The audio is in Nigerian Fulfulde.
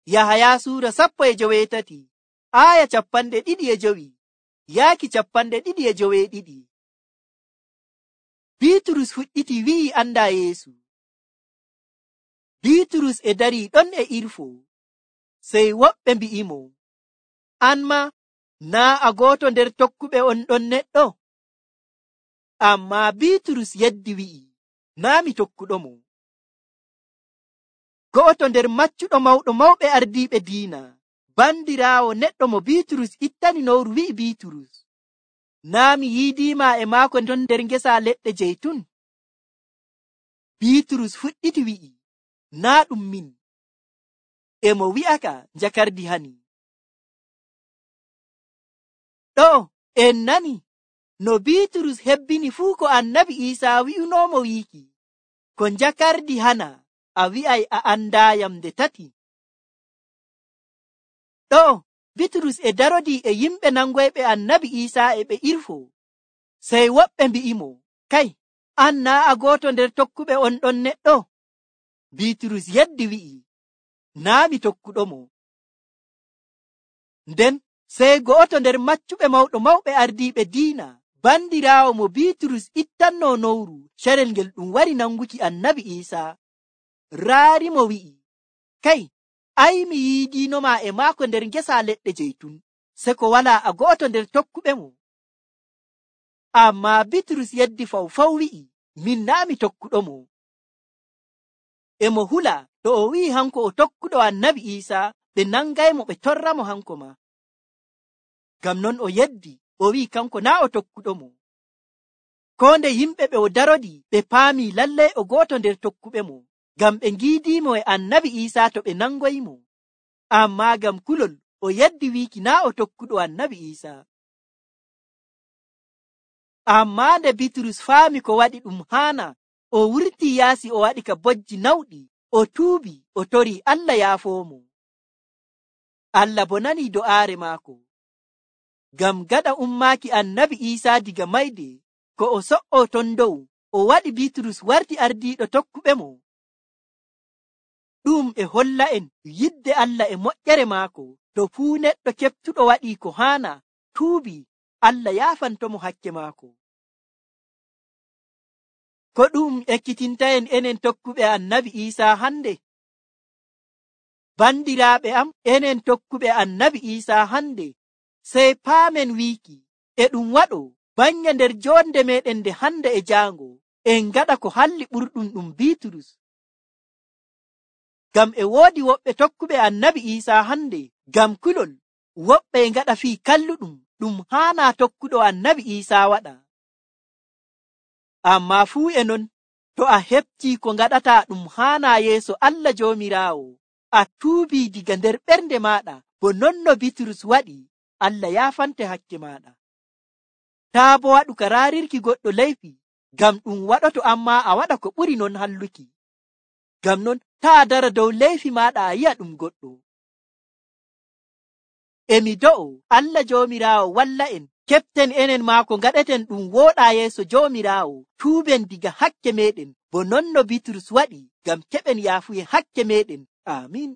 Yahaya suura 17 aya 25 yaaki 22. Biiturus fuɗɗiti wi'i andaa Yeesu. Biiturus e darii ɗon e irfo, sey woɓɓe mbi'imo, an ma naa a gooto nder tokkuɓe on ɗon neɗɗo? Ammaa Biiturus yeddi wi'i, naa mi tokkuɗomo. Go'oto nder maccuɗo mawɗo mawɓe ardiiɓe diina, bandiraawo neɗɗo mo Biiturus ittani nowru wi'i Biiturus, naa mi yiidiima e maako ɗon nder ngesa leɗɗe jeytun? Biiturus fuɗɗiti wi'i, naa ɗum min. E mo wi'aka njakardi hani. Ɗo en nani no Biiturus hebbini fuu ko Annabi Iisaa wi'unoomo wiiki, ko njakardi hana a wi'ay a andaayam nde tati. Ɗo Biiturus e darodii e yimɓe nangoyɓe Annabi Iisaa e ɓe irfo, sey woɓɓe mbi'imo, kay, an naa a gooto nder tokkuɓe on ɗon neɗɗo? Biiturus yeddi wi'i, naa mi tokkuɗomo. Nden sey go'oto nder maccuɓe mawɗo mawɓe ardiiɓe diina, bandiraawo mo Biiturus ittannoo nowru carel ngel ɗum wari nanguki Annabi Iisaa, raari mo wi'i, kay, ay mi yiidiinoma e maako nder ngesa leɗɗe jeytun, se ko walaa a go'oto nder tokkuɓe mo. Ammaa Biiturus yeddi fawfaw wi'i, min naa mi tokkuɗomo. E mo hula to o wi'i hanko o tokkuɗo Annabi Iisaa, ɓe nangaymo ɓe torramo hanko ma. Ngam non o yeddi o wi'i kanko naa o tokkuɗomo. Koo nde yimɓe ɓe o darodi ɓe paami lallay o gooto nder tokkuɓe mo, ngam ɓe ngiidiimo e Annabi Iisaa to ɓe nangoymo. Ammaa ngam kulol o yeddi wiiki naa o tokkuɗo Annabi Iisaa. Ammaa nde Biiturus faami ko waɗi ɗum haana, o wurtii yaasi o waɗi ka bojji nawɗi, o tuubi o torii Allah yaafoomo. Allah bo nanii do'aare maako. Ngam gaɗa ummaaki Annabi Iisaa diga mayde, ko o so'oo ton dow, o waɗi Biiturus warti ardiiɗo tokkuɓe mo. Ɗum e holla en yidde Allah e moƴƴere maako. To fuu neɗɗo keɓtuɗo waɗii ko haana, tuubi, Allah yaafantomo hakke maako. Ko ɗum ekkitintaen enen tokkuɓe Annabi Iisaa hande? Bandiraaɓe am, enen tokkuɓe Annabi Iisaa hande, sey paamen wiiki, e ɗum waɗo bannge nder jonde meɗen nde hande e jaango, en gaɗa ko halli ɓurɗum ɗum Biiturus. Ngam e woodi woɓɓe tokkuɓe Annabi Iisaa hande, ngam kulol, woɓɓe ngaɗa fii kalluɗum ɗum haana tokkuɗo Annabi Iisaa waɗa. Ammaa fuu e non, to a heɓtii ko ngaɗata ɗum haana yeeso Allah Joomiraawo, a tuubii diga nder ɓernde maaɗa, bo non no Biiturus waɗi, Allah yaafante hakke maaɗa. Taa bo waɗu ka raarirki goɗɗo leyfi, ngam ɗum waɗoto ammaa a waɗa ko ɓuri non halluki. Ngam non taa dara dow leyfi maaɗa a yi'a ɗum goɗɗo. Emi do'o Allah Joomiraawo walla en, keɓten enen maako ngaɗeten ɗum wooɗaa yeeso Joomiraawo, tuuben diga hakke meɗen, bo non no Biiturus waɗi, ngam keɓen yaafuye hakke meɗen. Aamin.